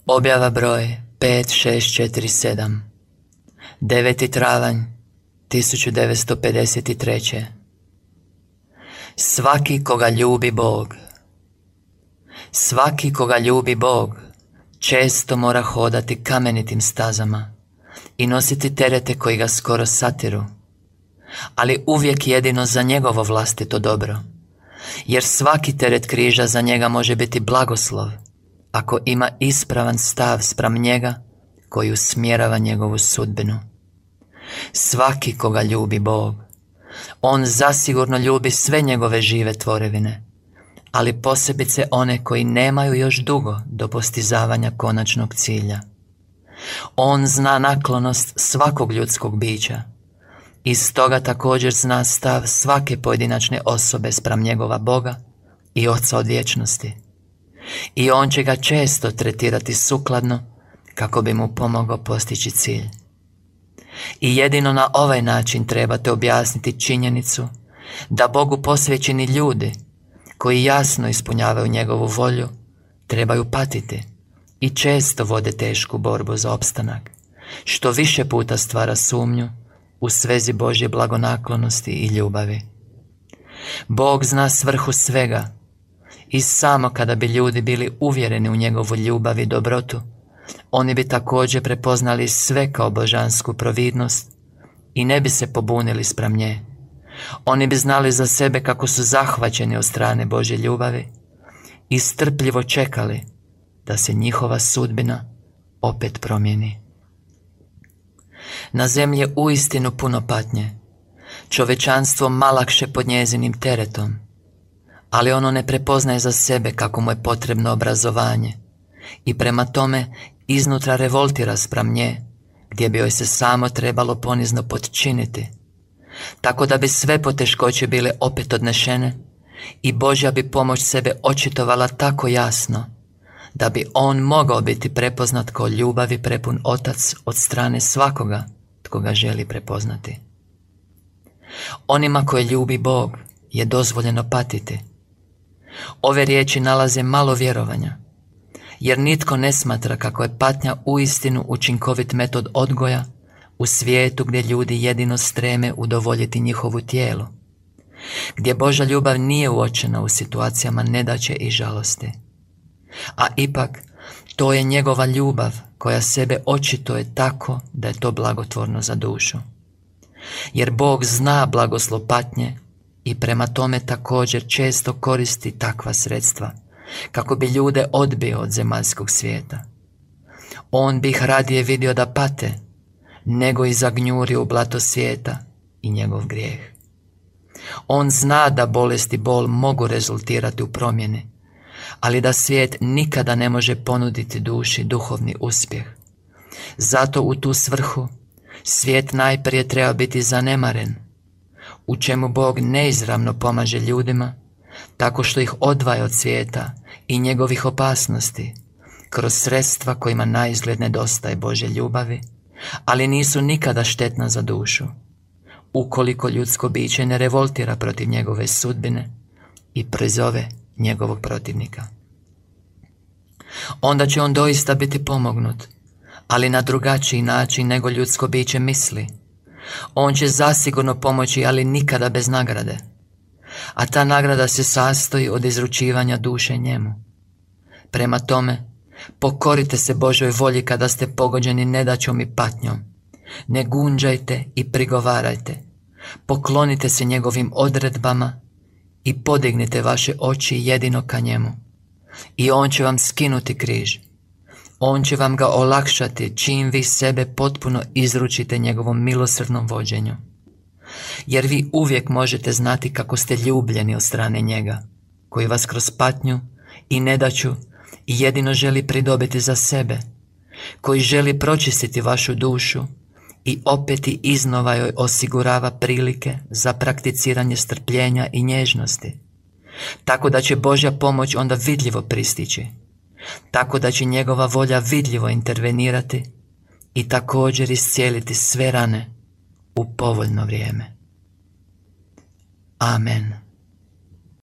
Objava broj 5647, 9. travanj 1953. Svaki koga ljubi Bog. Svaki koga ljubi Bog često mora hodati kamenitim stazama i nositi terete koji ga skoro satiru, ali uvijek jedino za njegovo vlastito dobro, jer svaki teret križa za njega može biti blagoslov ako ima ispravan stav spram njega koji usmjerava njegovu sudbinu. Svaki koga ljubi Bog, on zasigurno ljubi sve njegove žive tvorevine, ali posebice one koji nemaju još dugo do postizavanja konačnog cilja. On zna naklonost svakog ljudskog bića i stoga također zna stav svake pojedinačne osobe spram njegova Boga i Oca od vječnosti. I on će ga često tretirati sukladno kako bi mu pomogao postići cilj. I jedino na ovaj način trebate objasniti činjenicu da Bogu posvećeni ljudi koji jasno ispunjavaju njegovu volju trebaju patiti i često vode tešku borbu za opstanak, što više puta stvara sumnju u svezi Božje blagonaklonosti i ljubavi. Bog zna svrhu svega i samo kada bi ljudi bili uvjereni u njegovu ljubav i dobrotu, oni bi također prepoznali sve kao božansku providnost i ne bi se pobunili spram nje. Oni bi znali za sebe kako su zahvaćeni od strane Božje ljubavi i strpljivo čekali da se njihova sudbina opet promijeni. Na zemlji je uistinu puno patnje, čovječanstvo malakše pod njezinim teretom, ali ono ne prepoznaje za sebe kako mu je potrebno obrazovanje i prema tome iznutra revoltira spram nje, gdje bi joj se samo trebalo ponizno potčiniti, tako da bi sve poteškoće bile opet odnešene i Božja bi pomoć sebe očitovala tako jasno da bi on mogao biti prepoznat kao ljubavi prepun otac od strane svakoga tko ga želi prepoznati. Onima koje ljubi Bog je dozvoljeno patiti. Ove riječi nalaze malo vjerovanja, jer nitko ne smatra kako je patnja uistinu učinkovit metod odgoja u svijetu gdje ljudi jedino streme udovoljiti njihovu tijelu, gdje Božja ljubav nije uočena u situacijama nedaće i žalosti. A ipak, to je njegova ljubav koja sebe očituje tako da je to blagotvorno za dušu. Jer Bog zna blagoslov patnje i prema tome također često koristi takva sredstva kako bi ljude odbio od zemaljskog svijeta. On bi ih radije vidio da pate nego i zagnjuri u blato svijeta i njegov grijeh. On zna da bolest i bol mogu rezultirati u promjeni, ali da svijet nikada ne može ponuditi duši duhovni uspjeh. Zato u tu svrhu svijet najprije treba biti zanemaren, u čemu Bog neizravno pomaže ljudima tako što ih odvaja od svijeta i njegovih opasnosti kroz sredstva kojima naizgled nedostaje Božje ljubavi, ali nisu nikada štetna za dušu, ukoliko ljudsko biće ne revoltira protiv njegove sudbine i prizove njegovog protivnika. Onda će on doista biti pomognut, ali na drugačiji način nego ljudsko biće misli. On će zasigurno pomoći, ali nikada bez nagrade, a ta nagrada se sastoji od izručivanja duše njemu. Prema tome, pokorite se Božoj volji kada ste pogođeni nedaćom i patnjom. Ne gunđajte i prigovarajte. Poklonite se njegovim odredbama i podignite vaše oči jedino ka njemu. I on će vam skinuti križ. On će vam ga olakšati čim vi sebe potpuno izručite njegovom milosrdnom vođenju. Jer vi uvijek možete znati kako ste ljubljeni od strane njega, koji vas kroz patnju i nedaću jedino želi pridobiti za sebe, koji želi pročistiti vašu dušu i opet i iznova joj osigurava prilike za prakticiranje strpljenja i nježnosti, tako da će Božja pomoć onda vidljivo pristići, tako da će njegova volja vidljivo intervenirati i također iscijeliti sve rane u povoljno vrijeme. Amen.